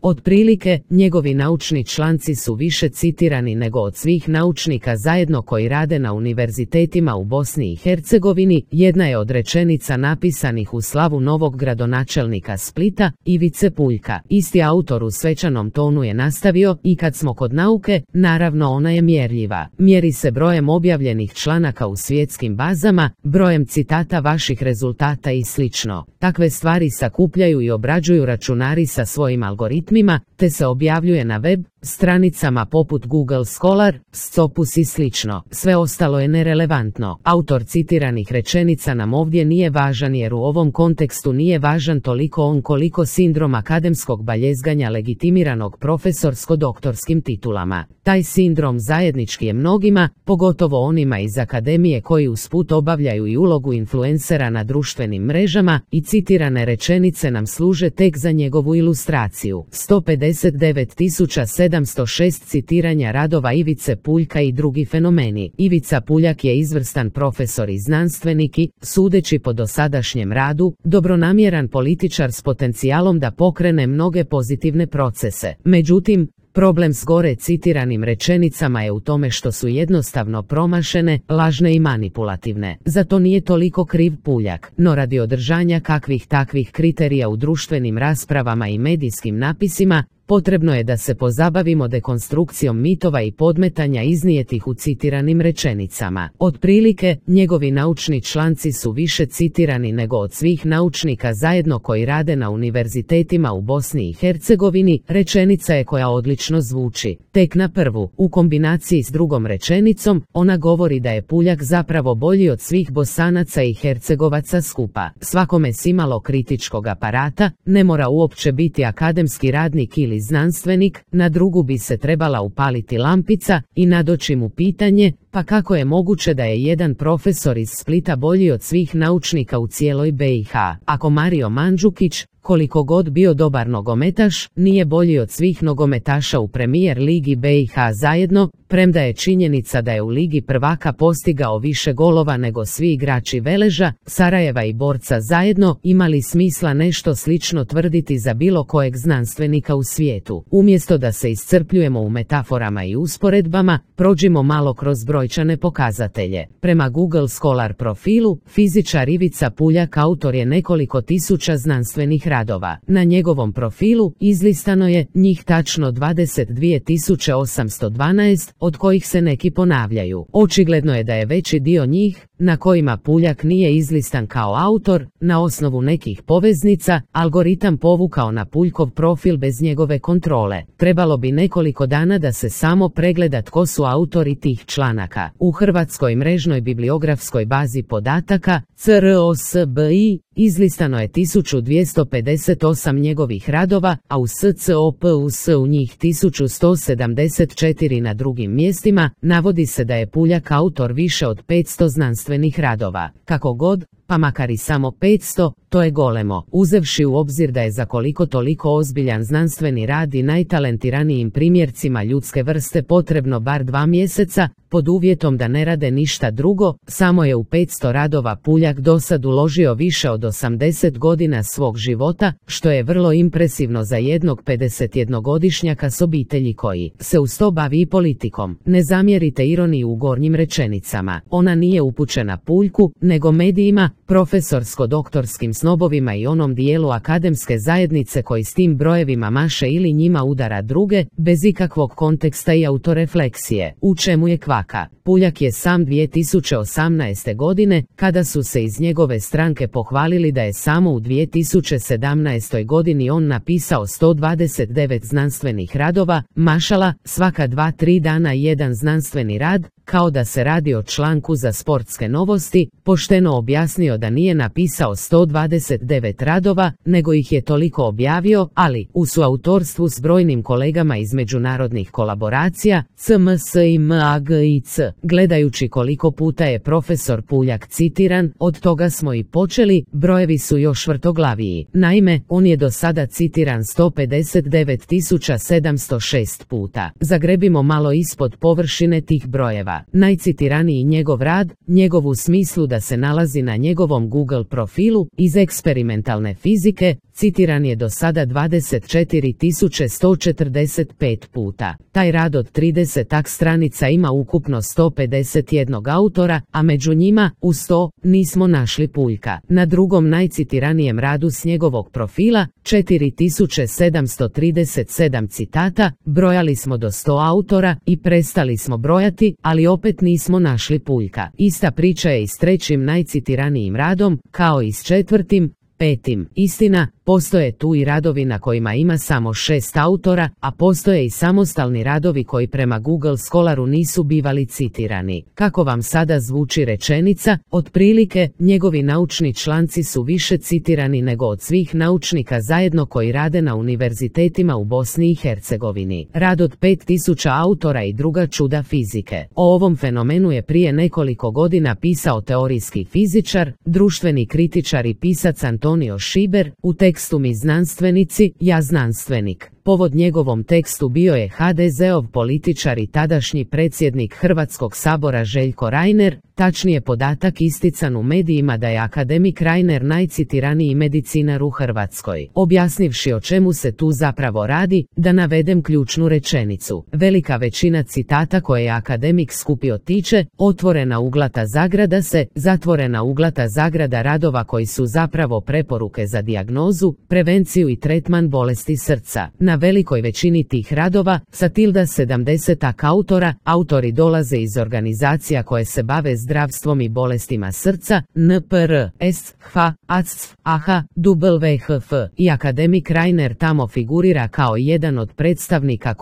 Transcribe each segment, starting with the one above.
Otprilike, njegovi naučni članci su više citirani nego od svih naučnika zajedno koji rade na univerzitetima u Bosni i Hercegovini. Jedna je od rečenica napisanih u slavu novog gradonačelnika Splita, Ivice Puljka. Isti autor u svečanom tonu je nastavio: i kad smo kod nauke, naravno ona je mjerljiva. Mjeri se brojem objavljenih članaka u svjetskim bazama, brojem citata vaših rezultata i slično. Takve stvari sakupljaju i obrađuju računari sa svojim algoritmima, te se objavljuje na web stranicama poput Google Scholar, Scopus i slično. Sve ostalo je nerelevantno. Autor citiranih rečenica nam ovdje nije važan jer u ovom kontekstu nije važan toliko on koliko sindrom akademskog baljezganja legitimiranog profesorsko-doktorskim titulama. Taj sindrom zajednički je mnogima, pogotovo onima iz akademije koji usput obavljaju i ulogu influencera na društvenim mrežama, i citirane rečenice nam služe tek za njegovu ilustraciju. 159.706 citiranja radova Ivice Puljka i drugi fenomeni. Ivica Puljak je izvrstan profesor i znanstvenik i, sudeći po dosadašnjem radu, dobronamjeran političar s potencijalom da pokrene mnoge pozitivne procese. Međutim, problem s gore citiranim rečenicama je u tome što su jednostavno promašene, lažne i manipulativne. Zato nije toliko kriv Puljak, no radi održanja kakvih takvih kriterija u društvenim raspravama i medijskim napisima, potrebno je da se pozabavimo dekonstrukcijom mitova i podmetanja iznijetih u citiranim rečenicama. Otprilike, njegovi naučni članci su više citirani nego od svih naučnika zajedno koji rade na univerzitetima u Bosni i Hercegovini. Rečenica je koja odlično zvuči. Tek na prvu, u kombinaciji s drugom rečenicom, ona govori da je Puljak zapravo bolji od svih Bosanaca i Hercegovaca skupa. Svakome s imalo kritičkog aparata, ne mora uopće biti akademski radnik ili znanstvenik, na drugu bi se trebala upaliti lampica i nadoći mu pitanje: pa kako je moguće da je jedan profesor iz Splita bolji od svih naučnika u cijeloj BiH? Ako Mario Mandžukić, koliko god bio dobar nogometaš, nije bolji od svih nogometaša u Premier ligi BiH zajedno, premda je činjenica da je u Ligi prvaka postigao više golova nego svi igrači Veleža, Sarajeva i Borca zajedno, ima li smisla nešto slično tvrditi za bilo kojeg znanstvenika u svijetu? Umjesto da se iscrpljujemo u metaforama i usporedbama, prođimo malo kroz brojčane pokazatelje. Prema Google Scholar profilu, fizičar Ivica Puljak autor je nekoliko tisuća znanstvenih radova. Na njegovom profilu izlistano je njih tačno 22.812, od kojih se neki ponavljaju. Očigledno je da je veći dio njih, na kojima Puljak nije izlistan kao autor, na osnovu nekih poveznica, algoritam povukao na Puljkov profil bez njegove kontrole. Trebalo bi nekoliko dana da se samo pregleda tko su autori tih članaka. U Hrvatskoj mrežnoj bibliografskoj bazi podataka CROSBI izlistano je 1258 njegovih radova, a u SCOPUS u njih 1174. Na drugim mjestima navodi se da je Puljak autor više od 500 znanstvenih radova. Kako god, pa makar i samo 500, to je golemo, uzevši u obzir da je za koliko toliko ozbiljan znanstveni rad i najtalentiranijim primjercima ljudske vrste potrebno bar 2 mjeseca, pod uvjetom da ne rade ništa drugo. Samo je u 500 radova Puljak dosad uložio više od 80 godina svog života, što je vrlo impresivno za jednog 51-godišnjaka s obitelji koji se uz to bavi i politikom. Ne zamjerite ironiju u gornjim rečenicama, ona nije upućena Puljku, nego medijima, profesorsko-doktorskim snobovima i onom dijelu akademske zajednice koji s tim brojevima maše ili njima udara druge, bez ikakvog konteksta i autorefleksije. U čemu je kvaka? Puljak je sam 2018. godine, kada su se iz njegove stranke pohvalili da je samo u 2017. godini on napisao 129 znanstvenih radova, mašala, svaka 2-3 dana jedan znanstveni rad, kao da se radi o članku za sportske novosti, pošteno objasnio da nije napisao 129 radova, nego ih je toliko objavio, ali u suautorstvu s brojnim kolegama iz međunarodnih kolaboracija, CMSIMAGIC. Gledajući koliko puta je profesor Puljak citiran, od toga smo i počeli, brojevi su još vrtoglaviji. Naime, on je do sada citiran 159.706 puta. Zagrebimo malo ispod površine tih brojeva. Najcitiraniji njegov rad, njegov u smislu da se nalazi na njegovom Google profilu, iz eksperimentalne fizike, citiran je do sada 24.145 puta. Taj rad od 30 stranica ima ukupno 151 autora, a među njima, u 100, nismo našli Puljka. Na drugom najcitiranijem radu s njegovog profila, 4737 citata, brojali smo do 100 autora i prestali smo brojati, ali opet nismo našli Puljka. Ista priča je i s trećim najcitiranijim radom, kao i s četvrtim, petim. Istina, postoje tu i radovi na kojima ima samo 6 autora, a postoje i samostalni radovi koji prema Google Scholaru nisu bivali citirani. Kako vam sada zvuči rečenica? Otprilike, njegovi naučni članci su više citirani nego od svih naučnika zajedno koji rade na univerzitetima u Bosni i Hercegovini. Rad od 5000 autora i druga čuda fizike. O ovom fenomenu je prije nekoliko godina pisao teorijski fizičar, društveni kritičar i pisac Antonio Šiber, u tekstu Mi znanstvenici, ja znanstvenik. Povod njegovom tekstu bio je HDZ-ov političar i tadašnji predsjednik Hrvatskog sabora Željko Reiner, tačnije podatak istican u medijima da je akademik Reiner najcitiraniji medicinar u Hrvatskoj. Objasnivši o čemu se tu zapravo radi, da navedem ključnu rečenicu. Velika većina citata koje je akademik skupio tiče, otvorena uglata zagrada se, zatvorena uglata zagrada radova koji su zapravo preporuke za dijagnozu, prevenciju i tretman bolesti srca. Na velikoj većini tih radova, sa tilda 70 autora, autori dolaze iz organizacija koje se bave zdravstvom i bolestima srca, NPR, SH, ACF, AHA, WHF, i akademik Reiner tamo figurira kao jedan od predstavnika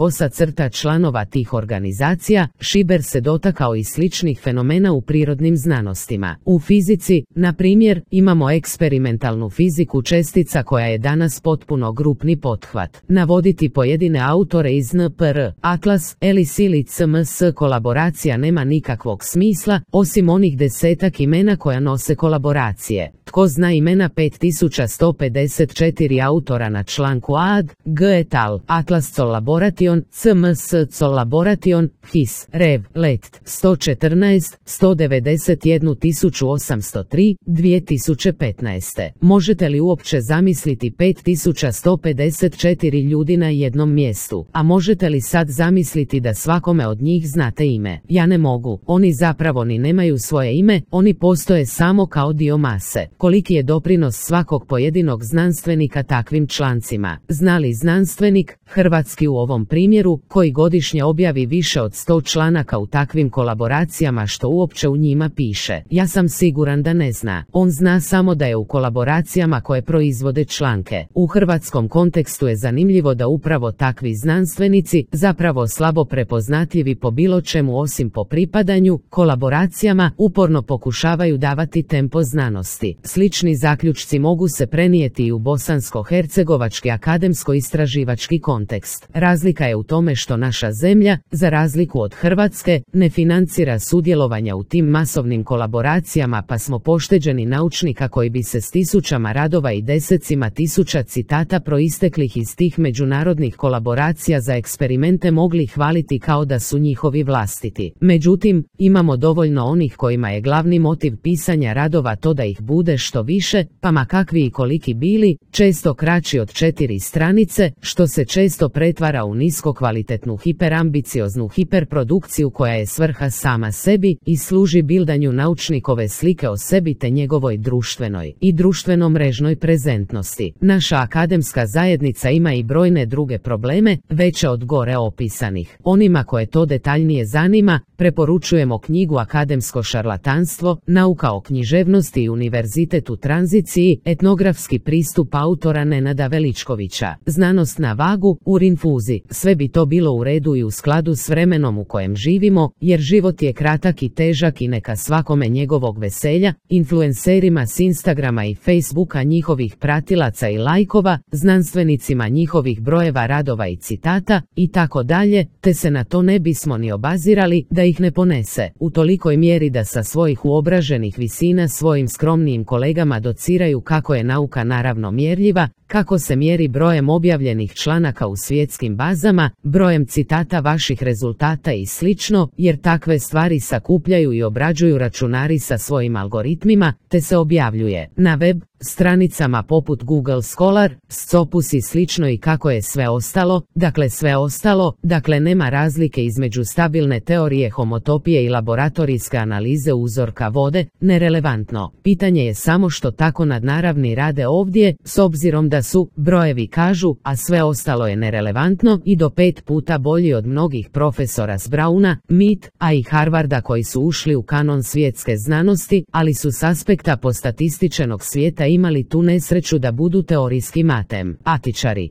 = članova tih organizacija. Šiber se dotakao i sličnih fenomena u prirodnim znanostima. U fizici, na primjer, imamo eksperimentalnu fiziku čestica koja je danas potpuno grupni pothvat. Navoditi pojedine autore iz NPR, Atlas, Ellis ili CMS kolaboracija nema nikakvog smisla, osim onih desetak imena koja nose kolaboracije. Tko zna imena 5154 autora na članku AD, G et al, Atlas Collaboration, CMS Collaboration, HIS, REV, LET, 114, 191.803, 2015. Možete li uopće zamisliti 5154 ljudi na jednom mjestu? A možete li sad zamisliti da svakome od njih znate ime? Ja ne mogu. Oni zapravo ni nemaju svoje ime, oni postoje samo kao dio mase. Koliki je doprinos svakog pojedinog znanstvenika takvim člancima? Zna li znanstvenik, hrvatski u ovom primjeru, koji godišnje objavi više od 100 članaka u takvim kolaboracijama, što uopće u njima piše? Ja sam siguran da ne zna. On zna samo da je u kolaboracijama koje proizvode članke. U hrvatskom kontekstu je zanimljivo da upravo takvi znanstvenici, zapravo slabo prepoznatljivi po bilo čemu osim po pripadanju, kolaboracijama, uporno pokušavaju davati tempo znanosti. Slični zaključci mogu se prenijeti i u bosansko-hercegovački akademsko-istraživački kontekst. Razlika je u tome što naša zemlja, za razliku od Hrvatske, ne financira sudjelovanja u tim masovnim kolaboracijama, pa smo pošteđeni naučnika koji bi se s tisućama radova i desecima tisuća citata proisteklih iz tih međunarodnih kolaboracija za eksperimente mogli hvaliti kao da su njihovi vlastiti. Međutim, imamo dovoljno onih kojima je glavni motiv pisanja radova to da ih bude što više, pa ma kakvi i koliki bili, često kraći od 4 stranice, što se često pretvara u niskokvalitetnu hiperambicioznu hiperprodukciju koja je svrha sama sebi i služi bildanju naučnikove slike o sebi te njegovoj društvenoj i društveno-mrežnoj prezentnosti. Naša akademska zajednica ima i brojne druge probleme, veće od gore opisanih. Onima koje to detaljnije zanima, preporučujemo knjigu Akademsko šarlatanstvo, nauka o književnosti i univerzitet u tranziciji, etnografski pristup autora Nenada Veličkovića. Znanost na vagu, u rinfuzi. Sve bi to bilo u redu i u skladu s vremenom u kojem živimo, jer život je kratak i težak i neka svakome njegovog veselja, influencerima s Instagrama i Facebooka njihovih pratilaca i lajkova, znanstvenicima njihovih brojeva radova i citata, i tako dalje, te se na to ne bismo ni obazirali da ih ne ponese, u tolikoj mjeri da sa svojih uobraženih visina svojim skromnijim kolegama dociraju kako je nauka naravno mjerljiva, kako se mjeri brojem objavljenih članaka u svjetskim bazama, brojem citata vaših rezultata i slično, jer takve stvari sakupljaju i obrađuju računari sa svojim algoritmima, te se objavljuje na web stranicama poput Google Scholar, Scopus i slično i kako je sve ostalo, dakle nema razlike između stabilne teorije homotopije i laboratorijske analize uzorka vode, nerelevantno. Pitanje je samo što tako nadnaravni rade ovdje, s obzirom da su, brojevi kažu, a sve ostalo je nerelevantno i do 5 puta bolji od mnogih profesora s Browna, MIT, a i Harvarda koji su ušli u kanon svjetske znanosti, ali su s aspekta postatističenog svijeta imali tu nesreću da budu teorijski matematičari.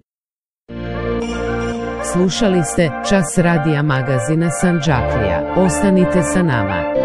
Slušali ste Čas radija magazina Sandžaklija. Ostanite sa nama.